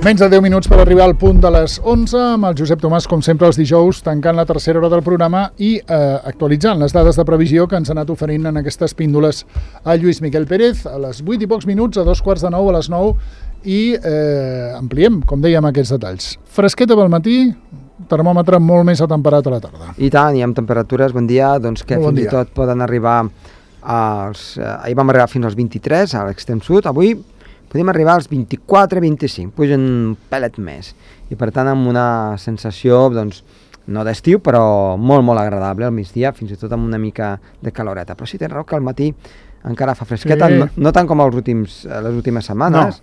Menys de 10 minuts per arribar al punt de les 11 amb el Josep Tomàs, com sempre, els dijous, tancant la tercera hora del programa i actualitzant les dades de previsió que ens ha anat oferint en aquestes píndoles a Lluís Miquel Pérez a les 8 i pocs minuts, a 8:45, a les 9, i ampliem, com dèiem, aquests detalls. Fresqueta pel matí, termòmetre molt més atemperat a la tarda. I tant, i amb temperatures, bon dia, doncs que fins i tot poden arribar ahir vam arribar fins als 23 a l'extrem sud, avui podem arribar als 24-25, pugen un pelet més. I per tant amb una sensació, doncs, no d'estiu, però molt, molt agradable al migdia, fins i tot amb una mica de caloreta. Però sí, tens raó que al matí encara fa fresqueta, sí. No tant com les últimes setmanes,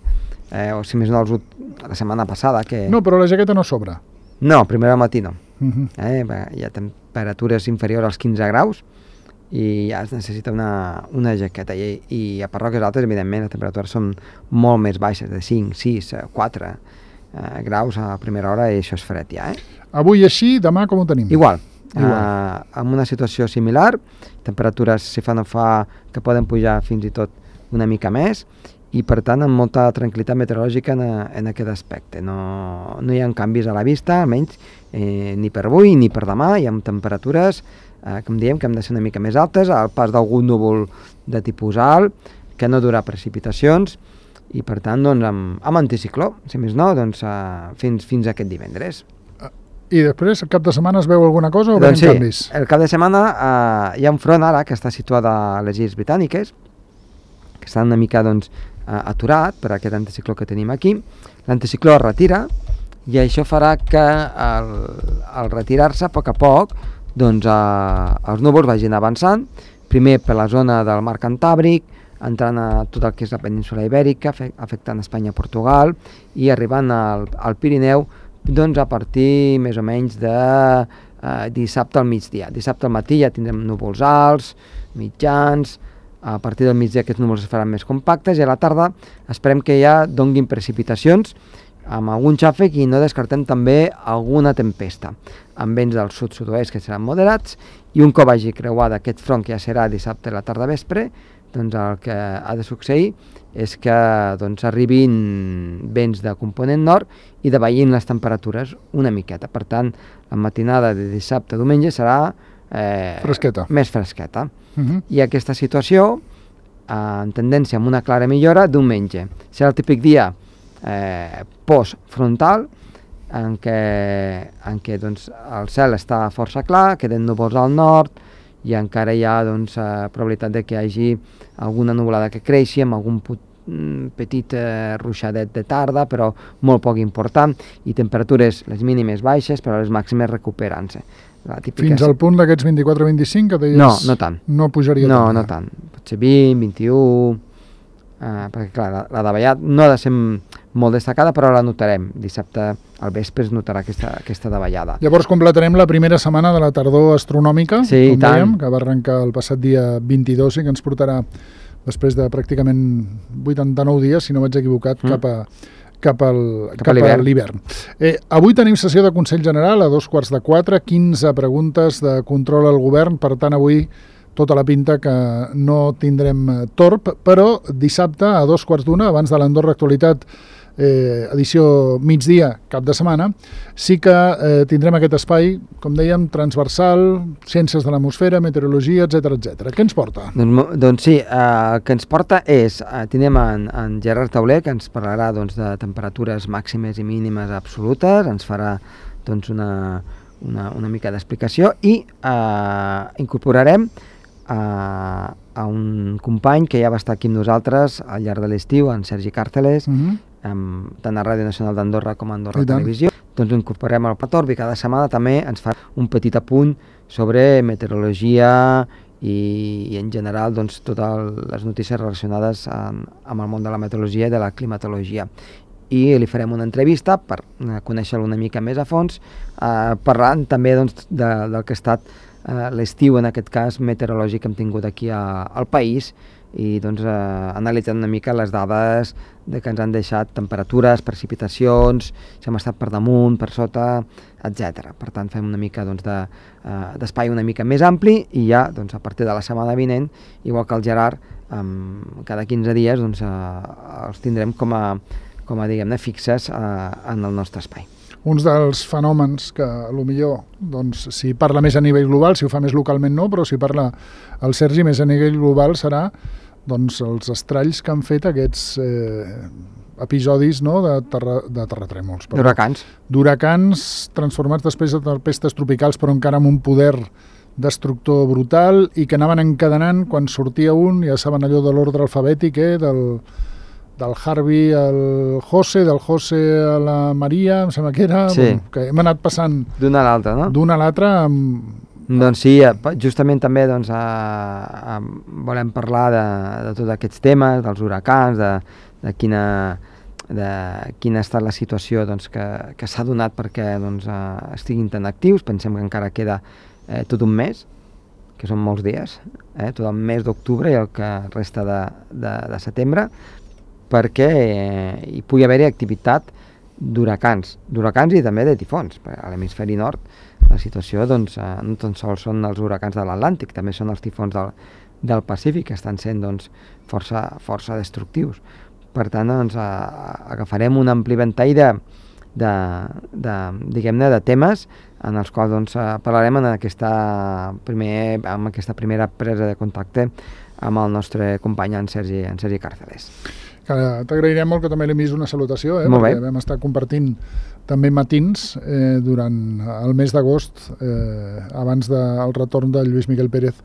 o si més no la setmana passada. Que... No, però la jaqueta no sobra. No, primer al matí no. Hi ha temperatures inferiors als 15 graus, i ja es necessita una jaqueta i a parròquies altes, evidentment, les temperatures són molt més baixes, de 5, 6, 4 graus a primera hora, i això és fred ja. Avui així, demà com ho tenim? Igual. Amb una situació similar, temperatures, si fa no fa, que poden pujar fins i tot una mica més, i per tant amb molta tranquil·litat meteorològica en aquest aspecte. No hi ha canvis a la vista, almenys ni per avui ni per demà, i amb temperatures com diem, que hem de ser una mica més altes, al pas d'algun núvol de tipus alt, que no durà precipitacions, i per tant doncs, amb anticicló, si més no, doncs, fins aquest divendres. I després, el cap de setmana es veu alguna cosa o veiem canvis? Sí, el cap de setmana hi ha un front ara que està situat a les Illes Britàniques, que està una mica doncs, aturat per aquest anticicló que tenim aquí. L'anticicló es retira, i això farà que al retirar-se, a poc, doncs els núvols vagin avançant, primer per la zona del mar Cantàbric, entrant a tot el que és la península Ibèrica, afectant Espanya i Portugal, i arribant al Pirineu doncs a partir més o menys de dissabte al migdia. Dissabte al matí ja tindrem núvols alts, mitjans, a partir del migdia aquests núvols es faran més compactes, i a la tarda esperem que ja donguin precipitacions amb algun xàfec, i no descartem també alguna tempesta, amb vents del sud-sud-oest que seran moderats, i un cop hagi creuat aquest front, que ja serà dissabte a la tarda vespre, doncs el que ha de succeir és que doncs, arribin vents de component nord i davallin les temperatures una miqueta. Per tant, la matinada de dissabte a diumenge serà més fresqueta. I aquesta situació, en tendència amb una clara millora, diumenge serà el típic dia postfrontal, en què doncs, el cel està força clar, queden núvols al nord, i encara hi ha doncs, probabilitat de que hi hagi alguna nuvolada que creixi, amb algun petit ruixadet de tarda, però molt poc important, i temperatures les mínimes baixes, però les màximes recuperant-se. Fins al punt d'aquests 24-25 que deies? No tant. No pujaria tant? No tant. Potser 20, 21... perquè clar, la davallat no ha de ser molt destacada, però la notarem. Dissabte al vespre es notarà aquesta davallada. Llavors completarem la primera setmana de la tardor astronòmica, sí, com dèiem, que va arrencar el passat dia 22 i que ens portarà després de pràcticament 89 dies, si no vaig equivocat, cap a l'hivern. Avui tenim sessió de Consell General a 3:15, 15 preguntes de control al govern, per tant avui tota la pinta que no tindrem torb, però dissabte a 2:15, abans de l'Andorra Actualitat, edició migdia, cap de setmana, sí que tindrem aquest espai, com dèiem, transversal, ciències de l'atmosfera, meteorologia, etc. Què ens porta? Doncs sí, el que ens porta és, tindrem en Gerard Tauler, que ens parlarà doncs, de temperatures màximes i mínimes absolutes, ens farà doncs, una mica d'explicació, i incorporarem a un company que ja va estar aquí amb nosaltres al llarg de l'estiu, en Sergi Càrceles, tant a Ràdio Nacional d'Andorra com a Andorra Televisió. Doncs ho incorporem al Patorbi, cada setmana també ens fa un petit apunt sobre meteorologia i en general doncs, totes les notícies relacionades amb el món de la meteorologia i de la climatologia. I li farem una entrevista per conèixer-lo una mica més a fons, parlant també doncs, del que ha estat l'estiu, en aquest cas meteorològic, que hem tingut aquí al país, i doncs, analitzant una mica les dades que ens han deixat temperatures, precipitacions, si hem estat per damunt, per sota, etc. Per tant, fem una mica doncs, d'espai una mica més ampli, i ja doncs, a partir de la setmana vinent, igual que el Gerard, cada 15 dies doncs, els tindrem com com a, diguem-ne, fixes en el nostre espai. Uns dels fenòmens que, potser, doncs, si parla més a nivell global, si ho fa més localment no, però si parla el Sergi més a nivell global serà doncs, els estralls que han fet aquests episodis, no, de terratrèmols. D'huracans transformats després de tempestes tropicals, però encara amb un poder destructor brutal, i que anaven encadenant, quan sortia un, ja saben allò de l'ordre alfabètic, del Harvey al José, del José a la Maria, em sembla que era, sí. Que hem anat passant d'una a l'altra, no? D'una a l'altra. Doncs sí, justament també doncs, volem parlar de tots aquests temes, dels huracans, de quina ha estat la situació doncs, que s'ha donat perquè doncs, estiguin tan actius. Pensem que encara queda tot un mes, que són molts dies, tot el mes d'octubre i el que resta de setembre, perquè hi pugui haver-hi activitat d'huracans i també de tifons. A l'hemisferi nord la situació doncs, no tan sols són els huracans de l'Atlàntic, també són els tifons del Pacífic, que estan sent doncs, força destructius. Per tant, doncs, agafarem un ampli ventall diguem-ne, de temes en els quals doncs, parlarem en aquesta primera presa de contacte amb el nostre company en Sergi Càrceles. T'agrairem molt que també li enviïs una salutació, perquè vam estar compartint també matins durant el mes d'agost, abans del retorn de Lluís Miguel Pérez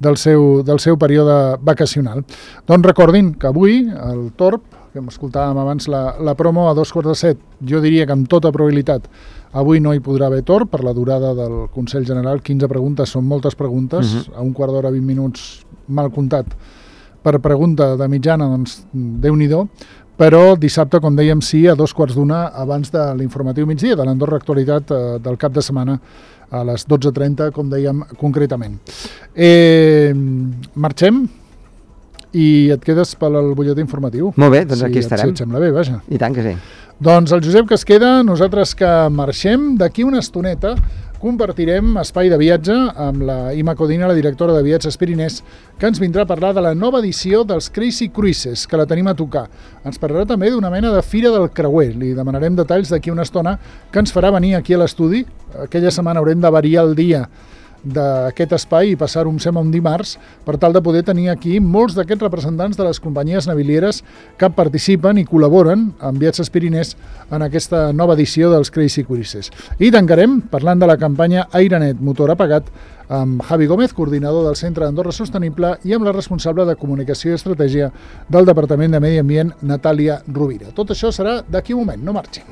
del seu període vacacional. Doncs recordin que avui el Torb, que escoltàvem abans la promo a 7:15, jo diria que amb tota probabilitat avui no hi podrà haver Torb per la durada del Consell General. 15 preguntes són moltes preguntes, a un quart d'hora, 20 minuts mal comptat per pregunta de mitjana, doncs Déu-n'hi-do, però dissabte, com dèiem, sí, a 2:15 abans de l'informatiu migdia, de l'Andorra Actualitat del cap de setmana, a les 12:30, com dèiem concretament. Marxem i et quedes pel butlletí informatiu. Molt bé, doncs aquí estarem. Si et sembla bé, vaja. I tant que sí. Doncs el Josep que es queda, nosaltres que marxem, d'aquí una estoneta compartirem espai de viatge amb la Ima Codina, la directora de Viatges Pirinès, que ens vindrà a parlar de la nova edició dels Crazy Cruises, que la tenim a tocar. Ens parlarà també d'una mena de Fira del Creuer. Li demanarem detalls d'aquí una estona, que ens farà venir aquí a l'estudi. Aquella setmana haurem de variar el dia d'aquest espai i passar-ho, em sembla, un dimarts, per tal de poder tenir aquí molts d'aquests representants de les companyies navilieres que participen i col·laboren amb Viatges Pirinès en aquesta nova edició dels Crazy Cruises. I tancarem parlant de la campanya Airenet Motor Apagat amb Javi Gómez, coordinador del Centre d'Andorra Sostenible, i amb la responsable de Comunicació i Estratègia del Departament de Medi Ambient, Natàlia Rovira. Tot això serà d'aquí un moment, no marxin.